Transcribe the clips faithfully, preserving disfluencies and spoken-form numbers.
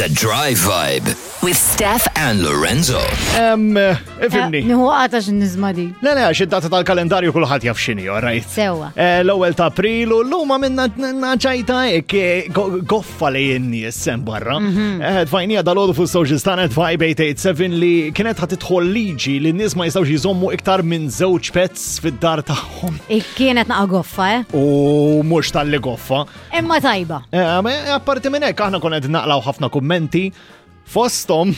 The Drive Vibe With Steph and Lorenzo. Em, ifhimni. Nieħu għata x'nizma di. Le, le, għax id-data tal-kalendarju kulħadd jaf x'inhi, all right? Sewwa. Eh, L-ewwel ta' April u llum għamilna ċajta hekk eh, go- goffa li n-nies sem barra. Eh, Tfajnija dalgħodu fuq social tagħna Vibe eight eight seven li kienet ħa tidħol liġi li n-nies ma jistgħux jżommu iktar minn żewġ pets fid-dar tagħhom. Kienet naqa goffa, eh? U mhux tal-li goffa. Imma tajba. Eh, ma apparti minn hekk aħna konna qed naqlaw ħafna kummenti fosthom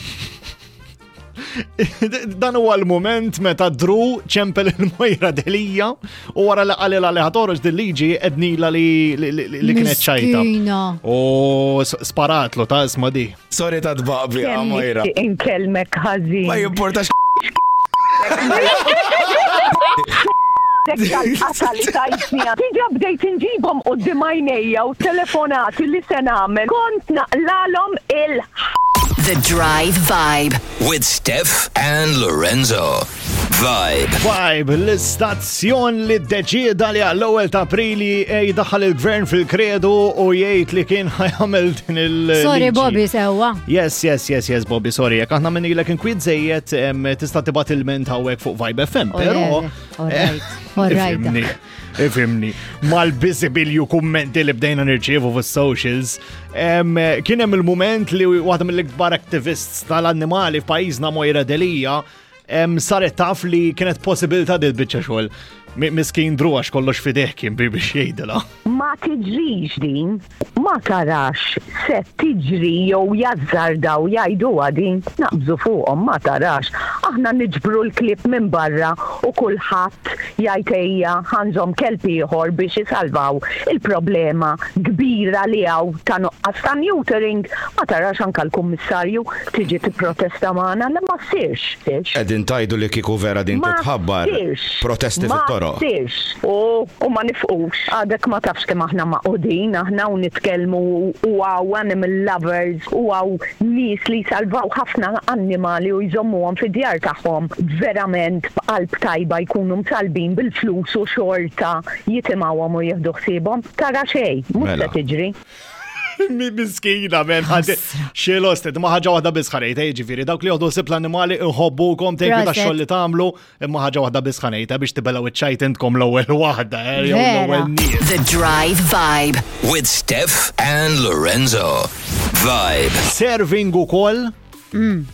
dan huwa l-moment meta Drew ċempel il-Mojra Delija u wara li qalilha li ħa toħroġ dil-liġi għednilha li, li, li, li kienet ċajta. Miskina. U s- sparatlu ta' isma di. Sorry ta' tbaqbi, Kemm Mojra. nixtieq inkellmek ħażin. Ma jimportax. Dek tal-qata li tajtni. Diġà bdejt inġibhom quddiem għajnejja u telefonati li se nagħmel. Kont naqlalhom il The Drive Vibe. With Steph and Lorenzo. Vibe. Vibe, l-istazzjon li deċida li għall-ewwel ta' Aprili jdaħħal il-gvern fil-kredu u jgħid li kien ħa jagħmel din il- Sorry, liġi. Bobby, sewwa. Yes, yes, yes, yes, Bobby, sorry. Jekk aħna għamilnielek inkwiet żejjed, em, tista' tibgħat ilment hawnhekk fuq Vibe F M, Oh, però le, all right, all right. Ifhimni, ifhimni. Mal-biżibilju kummenti li bdejna nirċievu fuq socials, em, kien hemm il-moment li waħda mill-ikbar activists tal-annimali f'pajjiżna, Mojra Delija, em, saret taf li kienet possibilità dil biċċa xogħol. Mi- Miskin Drew, għax kollox fideh kien bi biex jgħidilha. Ma tiġrix din, ma tarax se tiġri jew jazzardaw jgħidu din, naqbżu fuqhom, ma tarax. Aħna niġbru l-klieb minn barra u kulħadd jgħid ejja ħa nżomm kelb ieħor biex isalvaw il-problema kbira li hawn ta' nuqqas ta' neutering. Ma tarax anka l-kummissarju tiġi tipprotesta magħna li ma ssirx. Sirx. Qegħdin tgħidu li kieku vera din Ma titħabbar ssirx. protesti Ma fit-toroq. ssirx. U, u ma nifqux. Għadek ma tafx kemm aħna magħqudin, aħna u nitkellmu u hawn animal lovers u hawn nies li salvaw ħafna annimali u jżommuhom fid-djar tagħhom verament b'qalb tajba, jkunu msalbin bil-flus u xorta jitimgħuhom u jieħdu ħsiebhom. Tara xejn, mhux Mela. se tiġri. Mi miskina, men, ħaddi. Xilosted, ma ħaġa waħda biss ħa ngħid, ġifieri, dawk li joħdu ħsieb l-annimali iħobbukom, thank you Proset. tax-xogħol li tagħmlu, imma ħaġa waħda biss ħa ngħid, biex tibelgħu iċ-ċajt intkom l-ewwel waħda, eh, jew Vera. l-ewwel nies. The Drive Vibe. With Steph and Lorenzo. Vibe. Serving ukoll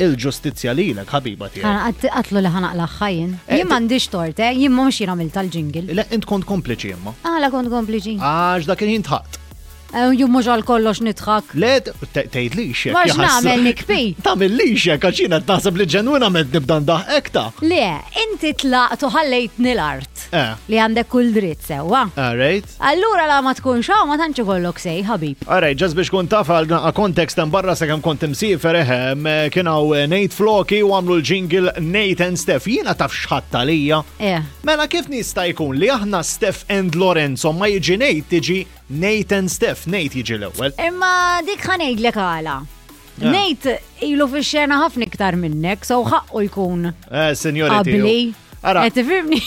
il-ġustizzja lilek, ħabiba tiegħi. Għatlu li ħa naqlagħha jien. Eh, Jien m'għandix tort, eh? Jien mhux jien għamilt tal-jingle. Le, int kont kompliċi imma. Għala kont kompliċi. Għax dak il-ħin dħakt. Eh, Jien mhux għal kollox nidħak. Le, tgħidlix hekk. Ma jaħasra. x'nagħmel, nikbi? Tagħmillix hekk, għax jiena naħseb li ġenwinament nibda ndaħek ta'. Le, inti tlaqt u ħallejtni l-art. Eh. Li għandek kull dritt, sewwa. All right. Allura la ma tkunx hawn ma tantx ikollok sej, ħabib. Alright, just biex kun taf għal naqra kontekst hemm barra sakemm kont imsiefer eħem, kien hawn Nate Floki u għamlu l-jingle Nate and Steph. Jiena taf x'ħadd għalija. Eh. Mela kif nista' jkun li aħna Steph and Lorenzo, ma jiġi Nate, tiġi Nate and Steph, Nate jiġi l-ewwel? Imma dik ħa ngħidlek għala. Eh. Nate ilu fix-xena ħafna iktar minnek, so ħaqqu jkun Eh, seniority. qabli. Ara, Qed tifhimni?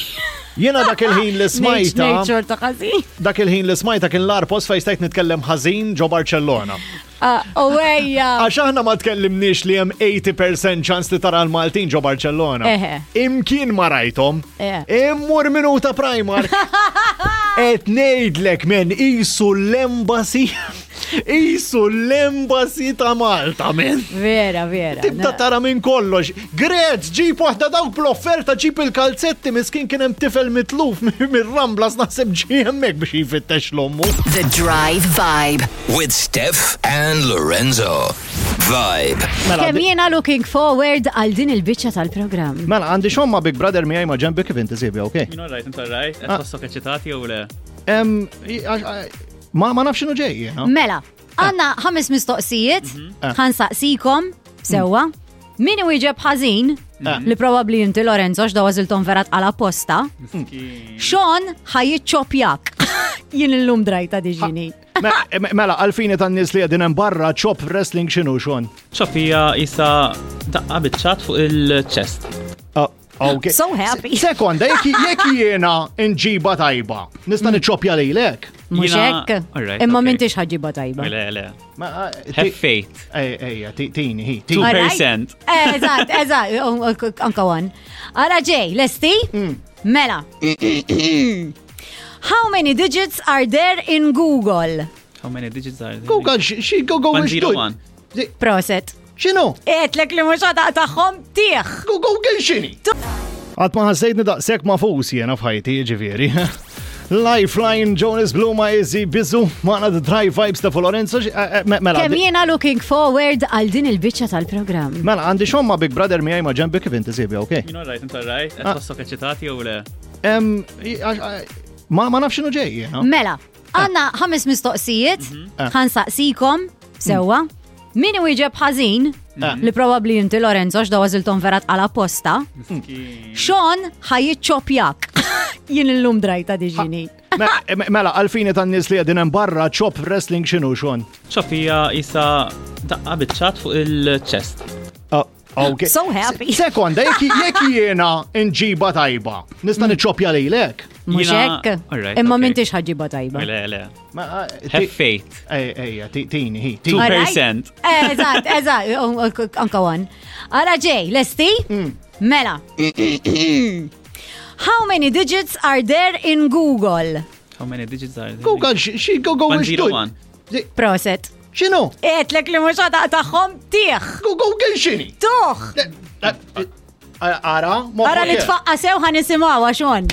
Jiena dak il-ħin li smajta, Nate xorta ħażin. Dak il-ħin li smajta kien l-agħar post fejn stajt nitkellem ħażin ġo Barcellona. Ah, U ejja. Għax aħna ma tkellimniex li hemm tmenin fil-mija ċans li tara l-Maltin ġo Barcellona. Eħe. Imkien ma rajthom. Eh. Immur minuta Primark. Et ngħidlek, men, isu l-embassy. Isu l-embassy ta' Malta, men. Vera, vera. Tibda tara minn kollox. Grez, ġib waħda dawk bl-offerta, ġib il-kalzetti, miskin kien hemm tifel mitluf mir-Ramblas, naħseb ġie hemmhekk biex jfittex l-ommu. The Drive Vibe. With Steph and Lorenzo. Vibe. Mela, Kemm jiena looking forward għal din il-biċċa tal-programm. Mela, għandi xomma Big Brother miegħi ma' ġenbi, kif inti Sibja, okej? Jien alright, int alright, qed tħossok eċitati jew le? Em, i- għax- għax- Ma ma nafx x'inhu ġej jiena. Mela, għandna ħames mistoqsijiet, Eh. ħa nsaqsikom, sewwa. Min iwieġeb ħażin, li probabbli inti, Lorenzo, għax daw għażilthom vera tqal apposta, Sean ħa jiċċopjak. Jien illum drajta diġini. Me- Mela, għalfini tan-nies li qegħdin hemm barra, chop wrestling x'inhu, Sean? Chop hija isa daqqa biċ-ċat fuq il-chest. Ah, ok. So happy. Sekonda, jekk jekk jiena nġiba tajba, nista' niċċopja lilek. Mhux Jiena- hekk? Alright, Imma okay. m'intix ħa ġġibha tajba. Le, le. Ma, eh, Have ti- faith. Ej, ejja, ti- tini, hi, Two tini. Alright. percent. Eżatt, eżatt, anka one. Ara ġej, lesti? Mm. Mela. How many digits are there in Google? How many digits are there? Google, xi Google One zero one. Proset. X'inhu? Għedtlek li mhux taqtagħhom tieħ. Google x'inhi? Qatt ma ħassejtni daqshekk mafus jiena f'ħajti, ġifieri. Lifeline, Jonas Bluma, Izzy, Bizu, magħna The Drive Vibes ta' Lorenzo, xi- eh, eh, me- mela. Kemm jiena looking forward għal din il-biċċa tal-programm. Mela, għandi xomma Big Brother miegħi ma' ġenbi kif inti sibi, ok? Jien alright, inti alright? Qed Ah. tħossok eċitati jew le? Em, i- għax- għax- Ma ma nafx x'inhu ġej, jiena. Mela, għandna ħames mistoqsijiet, Ah. ħa nsaqsikom, sewwa. Min iwieġeb ħażin, Ah. li probabli inti Lorenzo, għax daw għażilthom vera tqal apposta. Sean ħa jiċċopjak. Jien illum drajta diġini. Me- me- Mela, għalfini tan-nies li qegħdin hemm barra, chop wrestling x'inhu Sean? Chop hija isa daqqa biċ-ċatt fuq il-chest. Ah, Ok. So happy. Se- Sekonda, jekk jekk jiena nġiba tajba, nista' niċċopja lilek. Mhux Jiena- hekk? Alright, Imma okay. m'intix ħa ġġibha tajba. Le, le. Ma, eh, Have ti- faith. Ej, ejja, ti- tini, hi, Two tini. Alright. percent. Eżatt, eżatt, anka one. Ara ġej, lesti? Mela. How many digits are there in Google? How many digits are there? Google, xi Google One zero one. Proset. X'inhu? Għedtlek li mhux taqtagħhom tieħ. Google x'inhi? Tuħ. Ara, Ara li tfaqqa sew ħa nisimgħu Sean.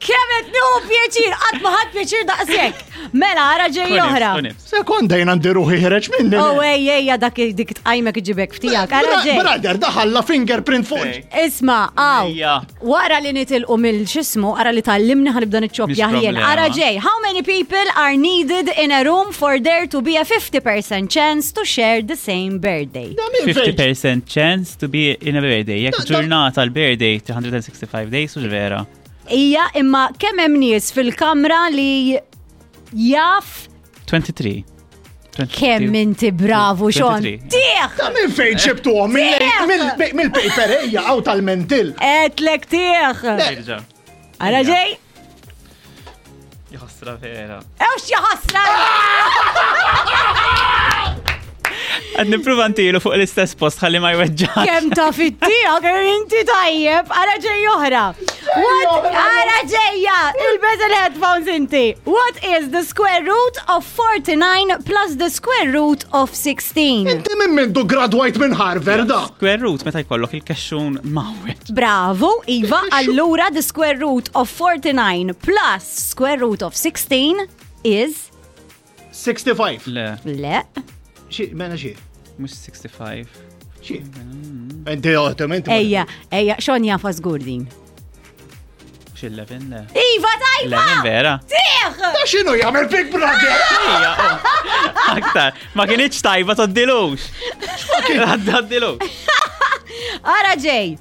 Kemm qed nieħu pjaċir, qatt ma ħadd pjaċir daqshekk. Mela, ara ġej oħra. Sekonda jien għandi ruħi ħereġ minni. Oh, ej, ejja, dak dik tqajmek iġibek ftijak. Ara ġej. Brother, daħalla fingerprint fuq. Isma, għaw. Ejja. Wara li nitilqu mill-xismu, ara li tallimni ħa nibda niċċoppja Mhix ħjien. problema. Ara ġej, how many people are needed in a room for there to be a fifty percent chance to share the same birthday? fifty percent chance to be in a birthday. Jekk ġurnata l-birthday three hundred sixty-five days u vera. Ija, imma kemm hemm nies fil-kamra li jaf twenty-three. Kemm inti bravu, Sean. twenty-three. Tieħ! Ta' minn fejn ġibtuhom? Mill-paper ejja għaw tal-mentil. Għedtlek tieħ! Irġa. Ara ġej? Jaħasra vera. Ewx jaħasra! Qed nipprova ntilu fuq l-istess post ħalli ma jweġġax. Kemm ta' fittija, kemm inti tajjeb, ara ġej oħra. What, ara ġejja, ilbes il-headphones inti. What is the square root of forty-nine plus the square root of sixteen? Inti minn mindu gradwajt minn Harvard da. Square root meta jkollok il-kexxun mawet. Bravo, Iva, allura the square root of forty-nine plus square root of sixteen is sixty-five. Le, Le. Xi, mela xi. Mhux sixty-five. Xi. Inti għotem, inti. Ejja, ejja, Sean jafa żgur din. Mhux eleven, le. Iva, tajba! eleven vera. Tieħ! Ta' x'inhu jagħmel Big Brother? Ejja, oh. Aktar, ma kienx tajba toddilux. Toddilux. Ara ġej.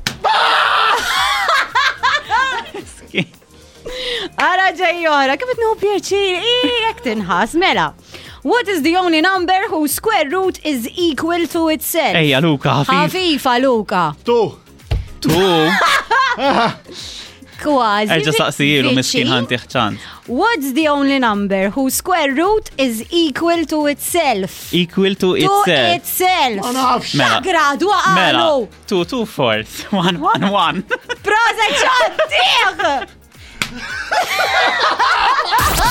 Ara ġej oħra, kif qed nieħu pjaċir, jekk tinħas, mela. What is the only number whose square root is equal to itself? Ejja, Luka, ħafif. Ħafifa, Luka. Tu. Tu. Kważi. Erġa' saqsijilu miskin viċin. ħa ntih ċans. What's the only number whose square root is equal to itself? Equal to To itself. itself. Ma nafx. Mela. Gradu Mela, għalu. two, two fourths, one, one, one. Proset, Sean, tieħ!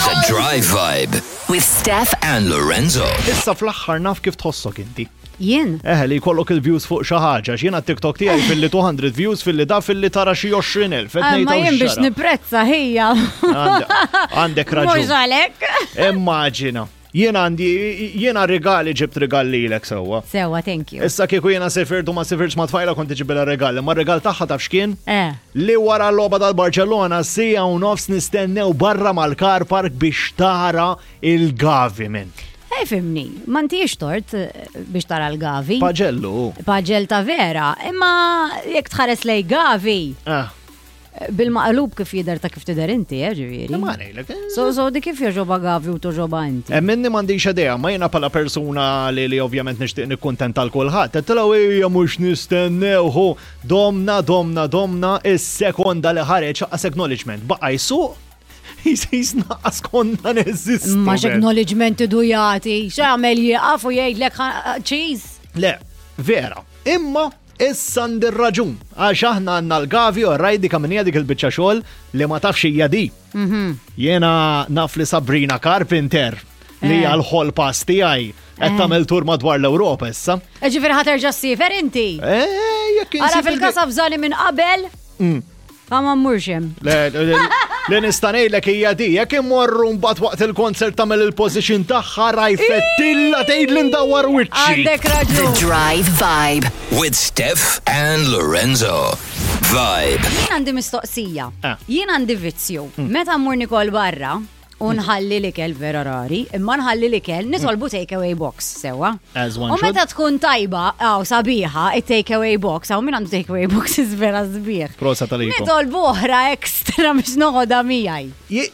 The Drive Vibe With Steph and Lorenzo. Issa fl-aħħar naf kif tħossok inti. Jien. Eħe li jkollok il-views fuq xi ħaġa, x'jiena TikTok tiegħi fil-li two hundred views fil-li da fil-li tara xi għoxrin elf. Qed Ah, ngħid ma hawn jien biex xara. niprezza ħija. Għandek- Għandek Mhux raġun. għalek. Immaġina. Jiena għandi, jiena regali ġibt regal lilek sewwa. Sewwa, thank you. Issa kieku jiena sifirt u ma sifirtx ma tfajla kont iġibilha regali, ma regal tagħha taf x'kien? Eh. Li wara l-logħba tal-Barcellona siegħa u nofs nistennew barra mal-car park biex tara il-Gavi minn. Ej, fimni, ma ntix tort eh, biex tara l-Gavi. Paġellu. Paġel ta' vera, imma jekk tħares lej Gavi, Ah, bil-maqlub kif jidher ta' kif tidher inti, eh, ġifieri. Ma ngħidlek. eh. So, so di kif joġoba Gavi u toġoba inti. Eh, Minni m'għandix idea, ma jiena pala persuna li li ovvjament nixtieq nikkuntenta l kulħadd. Għedtilha ejja mhux nistennew hu domna domna domna is-sekonda li ħareġ qas acknowledgement. Baqa' jsuq Jisna konna neżistu. Ma man. x'acknowledgement idu jagħti, x'għamel jieqaf u jgħidlek ħa- cheese. Le, vera. Imma issa għandi raġun għax aħna għandna l-Gavi u rajdi kaminija dik il-biċċa xogħol li ma tafx hija di. Mhm. Jiena naf li Sabrina Carpenter li Eh. hija l-ħol pass tiegħi qed Eh. tagħmel tur madwar l-Ewropa issa. Ġifieri ħa terġa' ssifer inti. Eh, jekk Ara insib fil-kasa fżani minn qabel, Mm. ħa ma mmurx hemm. Le, le, le, le nista' ngħidlek hija di, jekk immorru mbagħad waqt il-concert tagħmel il-position tagħha rajfettilla tgħid li ndawwar wiċċi. Għandek The raġun. Drive Vibe. With Steph and Lorenzo. Vibe. Jien għandi mistoqsija. Ah. Jien għandi vizzju. Mm. Meta mmur nikol barra, u nħalli l-ikel vera rari, imma nħalli l-ikel nitolbu takeaway box, sewa. As one U meta should. tkun tajba, għaw sabiħa, it-takeaway box, għaw min għandu takeaway box is vera sbieħ. Prosa tal-ikom. Nitolbu oħra ekstra biex noħodha miegħi. Je-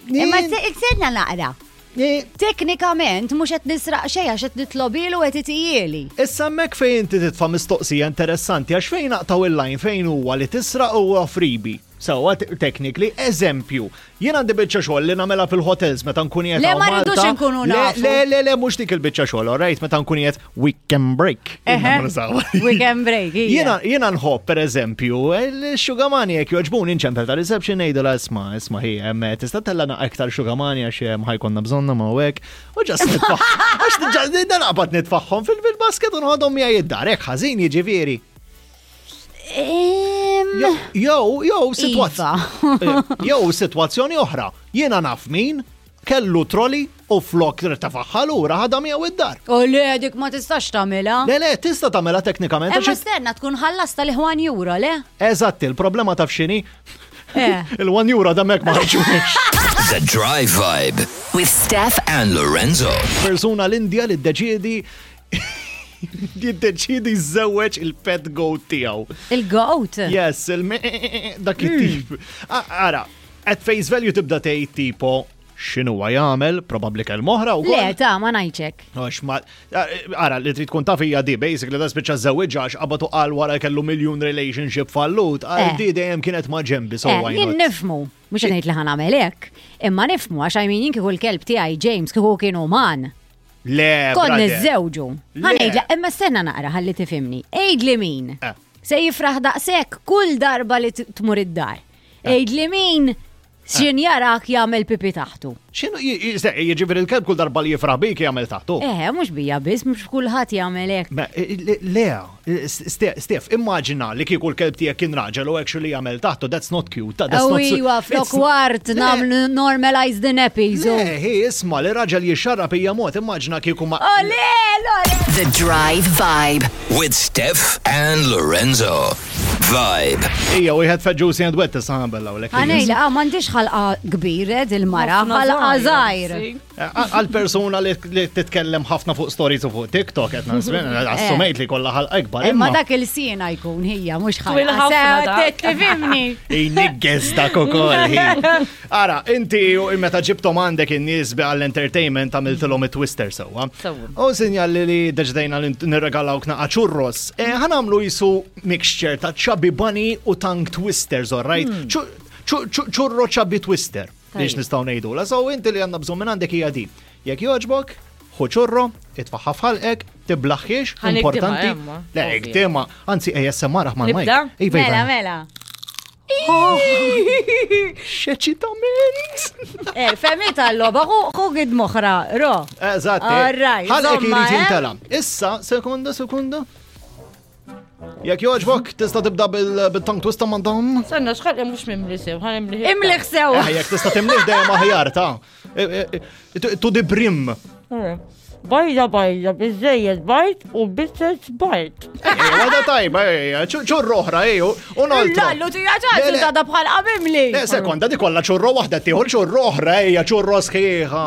Imma s-sedna naqra. je- Teknikament, mhux qed nisraq xejn għax qed nitlobilu qed itijieli. Issa hemmhekk fejn inti titfa' mistoqsija interessanti għax fejn naqtaw il-line fejn huwa li tisraq huwa freebie. Sewwa te- technically, eżempju, jien għandi biċċa xogħol li nagħmilha fil-hotels meta nkun qiegħed Le, hawn ma rridux Malta. inkunu Le, nafu. Le, le, le, mhux dik il-biċċa xogħol, all right, meta nkun qiegħed weekend break. Eħe. Weekend break, hija. Jiena jiena nħobb pereżempju, il-xugamani jekk joġbuni nċempel ta' reception ngħidulha isma' isma' hi hemm tista' tellana aktar xugamani għax hemm ħajkonna bżonna ma' hekk. U ġast nitfaħ. Għax ġast naqbad nitfaħħom fil-basket u nħodhom miegħi id-dar, hekk ħażin jiġifieri. Em, Jew, jew sitwazzjoni. Iva. Jew sitwazzjoni oħra. Jiena naf min kellu trolli u flok tafaħħa lura ħadha miegħu id-dar. U le, dik ma tistax tagħmilha. Le, le, tista' tagħmilha teknikament. Imma għax- stenna tkun ħallas tal-ħwan euro, le? Eżatt, il-problema taf x'inhi? Eh. Il-one euro damek ma ħarġux. The Drive Vibe. With Steph And Lorenzo. Persuna l-Indja li ddeċiedi jiddeċiedi jżewweġ il-pet goat tiegħu. Il-goat. Yes, il dak it-tip. A- Ara, at face value tibda tgħid tipo x'inhu jagħmel, probabbli kelm oħra Le, wkoll. ta' ma ngħidxek. Għax ma, ara, li trid tkun taf hija di, basically da spiċċa żewwiġha għax qabatu qal wara kellu miljun relationship fallut, għal Eh. di dejjem kienet ma' ġembi, so Eh, why Jien not? nifmu, mhux qed ngħid li ħanamel hekk, imma nifmu għax I mean jien kieku l-kelb tiegħi James kieku kien uman. Le, Kon brother. niżżewġu. Le. Ħanejdla, imma stenna naqra ħalli tifhimni. Għidli min. Eh. Se jifraħ daqshekk kull darba li t- tmur id-dar. Eh. Għidli min x'in jarak jagħmel pipi taħtu. X'inhu jiġifieri il-kelb kull darba li jifraħ bik jagħmel taħtu. Eh, mhux bija biss, mhux kulħadd jagħmel hekk. Ma, eh, le- Lea, Ste- Stef, immaġina li kieku l-kelb tiegħek kien raġel u actually jagħmel taħtu, that's not cute. That's Aw not iwa, flok it's- wart Le, nagħmlu normalize the nappies. u- Le, hi, isma' li raġel jixxarrab hija mod, immaġina kieku ma. Oh, le, le, le. The Drive Vibe. With Steph and Lorenzo. Vibe. Ija, wieħed fed juicy and wet tista' nagħmel hawnhekk. Għanejla, ah, m'għandix ħalqa kbir, eh, il-mara, Ħafna ħalqa żgħir, żgħir. si. Għal persuna li li titkellem ħafna fuq stories u fuq TikTok, qed nasmin, assumejt li kollha ħalqa ikbar. Imma dak il-sina jkun hija, mhux Twil ħalqa. ħafna Se, dak. Tifhimni. Iniggeż dak ukoll. hi. Ara, inti u meta ġibtom għandek in-nies bi għall-entertainment għamiltilhom it-twister sewwa. Sewwa. U sinjal li li deċidejna li nirregalawk naqa churros. E, ħanamlu jisu mixture ta' chubby bunny u tongue twisters, all right? Hmm. Churro chubby twister. Biex Tajjeb. nistgħu ngħidu. La so inti li għandna bżonn minn għandek hija di. Jekk jogħġbok, ħu ċurro, itfaħħa f'ħalqek, tiblaħħiex, Ħanikdimha, importanti. emma, Le, ovvja. ikdimha. Anzi, A S M R ma' Nibda? Iva, iva. Mela, mela. X'eċitament! Eh, femita l-loba, xu gid moħra, ro. Eżatt. All right, Ħalqek zomma, irid eh? jintela. Issa, sekonda, sekonda. Jekk jogħġbok, tista' tibda bil- bil-tongue twister mandam. Sanna, xħal mux mimli sew, ħan imli. Imliħ sew. Eh, jekk tista' timlih dejjem aħjar ta' Eh, eh, eh, to the brim. Bajda bajda, bizzejjed bajt u bizzejjed bajt. Eh, Għada tajba, eh, ċurro oħra, eh, u noltro. Lallu tija ċaċu Le, le. ta' da bħal qabimli. Le, sekonda, di kollha ċurro waħda tieħu ċurro oħra, ejja, ċurro sħiħa.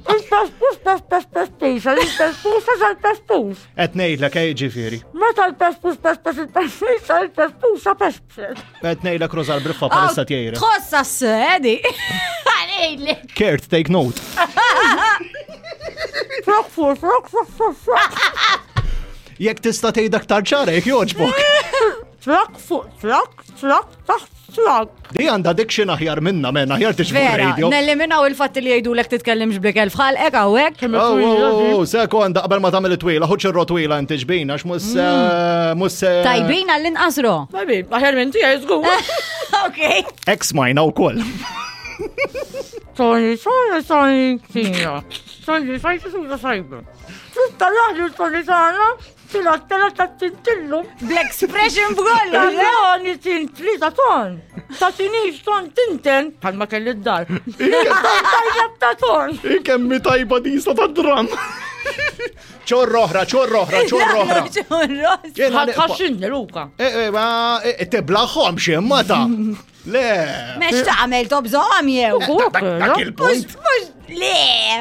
Il-pespus, pespes, pespisa, il-pespusa sal-pespus. Qed ngħidlek, ej, ġifieri. Meta l-pespus, pespes, il-pespisa, il-pespusa, pespes. Qed ngħidlek Rosa l-Briffa palissa tjejra. Tħossa s-sedi. Għalejli. Kert, take note. Frok, frok, frok, frok, frok, frok. Jekk tista' tgħid aktar ċara, jekk jogħġbok. Trak fuq trak, trak taħt trak. Di għandha diction aħjar minna, men, aħjar tiġi fuq Vera, radio. neliminaw il-fatt li jgħidulek titkellimx blikel fħalqek hawnhekk. Oh, oh, oh, sekonda, qabel ma tagħmel it-twila, ħuċ ir-rotwila inti ġbin, għax mhux se- mhux se. Tajbin għall-inqas ro. Baby, aħjar minn tiegħi żgur. Ok. Ex majna wkoll. Tony, Tony, Tony, Tina. Tony, fajti suda sajba. Tutta laħlu Tony tagħna, tila tela ta' tintillu. Bl-expression b'kollu. Tony tintli ta' ton. Ta' tinix ton tinten. Palma kelli d-dar. Tajjeb ta' ton. Kemmi tajba disa ta' dram. ċorra oħra, ċorra oħra, ċorra oħra. Jiena nibqa- Ħaxxinni, Luka. Eh, eh, ma eh, tiblaħħom xi ta' Le. Mex tagħmel tobżoqhom jew. Dak dak il-punt. Mhux mhux le,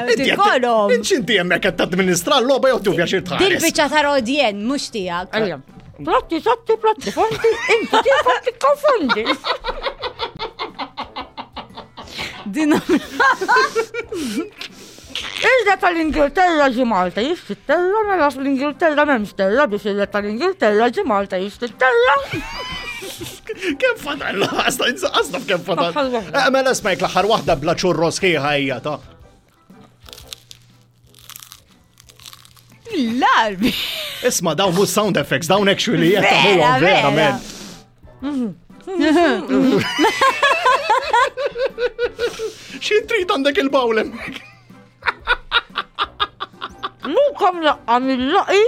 Inti qed- tikolhom. Inti inti hemmhekk qed tadministra l-logħba jew tufja xi Dil tħares. biċċa ta' rodjen mhux tiegħek. Ejja. Platti, satti, platti, fondi, inti tifa tikkonfondi. Din Il-re tal-Ingilterra ġi Malta jixtri terra, mela fl-Ingilterra m'hemmx terra biex il-re tal-Ingilterra ġi Malta jixtri terra. Kemm fadal? Għasna għasna f'kemm fadal. Aħħar waħda. Eh, Mela smajk l-aħħar waħda bla ċurro sħiħa hija ta' l-arbi. Isma' dawn mhux sound effects, dawn actually qed Vera, tagħmluhom vera. verament. Xi trid għandek il-bawl hemmhekk? Luka mlaqqa mill-laqi,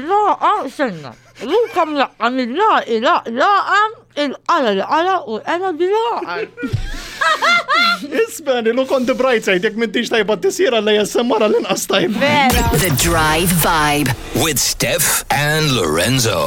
laqa senna. Luka mlaqqa mill-laqi, laq, laqa, il-qala l-qala u l-qala bil-laqa. Ismani, look on the bright side, jekk m'intix tajba tisir għalla jessemmara l-inqas tajba. Vera. The Drive Vibe. With Steph and Lorenzo.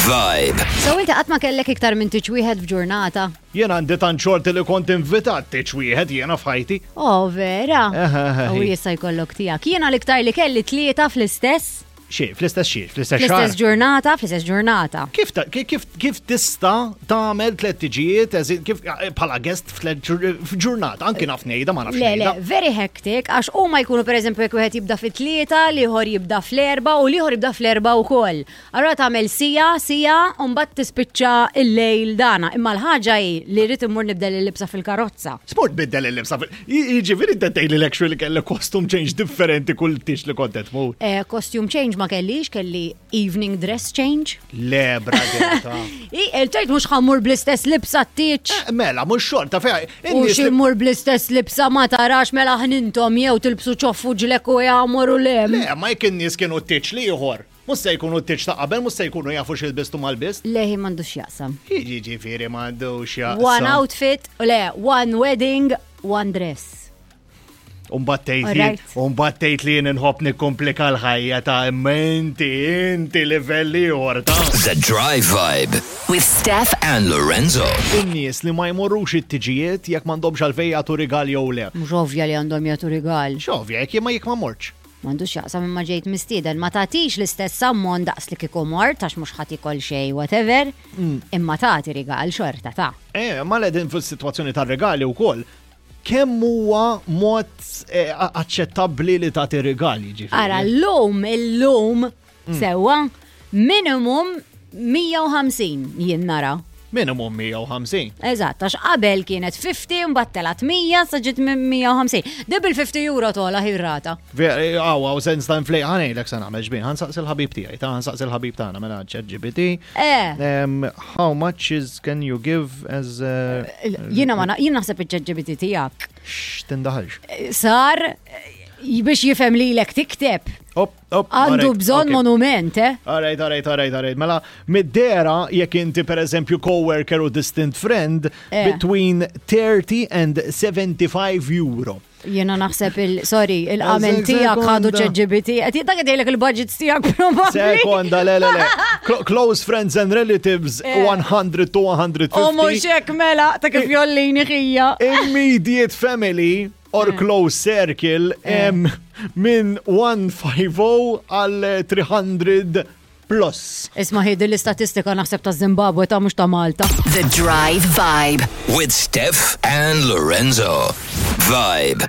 Vibe. So inti qatt ma kellek iktar minn tiġ wieħed f'ġurnata. Jena għandi tant xorti li kont invitat tiġ wieħed jiena f'ħajti. Oh, vera. Aha, aha, U hi. jista' jkollok tiegħek. Jiena l-iktar li kelli tlieta fl-istess, Xi, fl-istess xi, fl-istess fl-istess xahar. ġurnata, fl-istess ġurnata. Kif ta- ki- kif kif tista' tagħmel tliet tiġijiet eżi- kif bħala guest f'tliet ġur- f'ġurnata, anki naf ngħidha ma nafx Le, le, ngħidha. very hectic, għax huma jkunu per eżempju jekk wieħed jibda fit-tlieta, l-ieħor jibda fl-erba u l-ieħor jibda fl-erba wkoll. Allura tagħmel sija, sija, u mbagħad tispiċċa il-lejl dana. Imma l-ħaġa hi li rrid immur nibdel il-libsa fil-karozza. Sport biddel il-libsa. fil- Jiġifieri inti tgħidli l-actually li kellek costume change differenti kull tix li kont qed tmur. Eh, costume change ma kellix, kelli evening dress change. Le, brother. ta. I, il-tgħid mhux ħammur bl-istess libsa t-tieċ. Eh, Mela, mhux xorta fejn. U in-nies li- ximur bl-istess libsa ma tarax mela ħnintom jew tilbsu ċoffu ġlek u jgħamuru lem. Le, ma jekk in-nies kienu t-tieċ li ieħor. Mhux se jkunu t-tieċ ta' qabel, mhux se jkunu jafu x'ilbistu mal-bist. Leħi m'għandux jaqsam. Jiġifieri m'għandux jaqsam. One outfit, le, one wedding, one dress. Umbat tgħid li Alright. umbat tgħid li jien inħobb nikkomplika l-ħajja ta' imma inti inti livell ieħor ta' The Drive Vibe. With Steph And Lorenzo. in-nies li ma jmorrux it-tiġijiet jekk m'għandhomx għalfejn jagħtu rigal jew le. Mhux ovvja li għandhom jagħtu rigal. X'ovvja jekk jien ma jekk ma mortx. M'għandux jaqsam imma ġejt mistieden, ma tagħtix l-istess ammont daqs li kieku mort għax mhux ħadd ikol xejn whatever, imma tagħti rigal xorta ta' Eh, ma ledin fis-sitwazzjoni tar-regali wkoll. Kemm huwa mod eh, a- aċċettabbli li tagħti rigali ġifieri? Ara l-lum, il-lum, sewwa, minimum mija u ħamsin jien nara. Minimum mija u ħamsin. Eżatt, għax qabel kienet ħamsin, mbagħad telgħet mija, sa ġiet minn mija u ħamsin. Dib il-ħamsin euro tola ħirrata. Għaw, għaw, sens ta' inflej, ħanejlek sa' nagħmel ġbin, ħansaqs il-ħabib tiegħi, ta' ħansaqs il-ħabib tagħna mela ChatGPT. Eh. Um, how much is can you give as uh, Jiena ma na- jien naħseb iċ-ChatGPT tiegħek. X'tindaħalx? Sar eh, biex jifhem lilek tikteb. Op, op, Għandu alright, bżonn okay. monument, eh? Alright, alright, alright, alright. Mela, mid-dera, jekk inti per eżempju coworker u distant friend, Eh. between thirty and seventy-five euro. Jiena naħseb il, sorry, il-qamel Eżek, tiegħek ħadu sekonda. ChatGPT. Qed dak qed jgħidlek il-budgets tiegħek probabbli. Sekonda, le, le, le. Clo- Close friends and relatives, Eh. one hundred to one hundred fifty. U mhux hekk mela ta' kif jollini ħija. Immediate family or Eh. close circle em, minn one fifty għal three hundred plus. Isma' ħidi l-istatistika naħseb ta' Zimbabwe ta' mhux ta' Malta. The Drive Vibe. With Steph and Lorenzo. Vibe.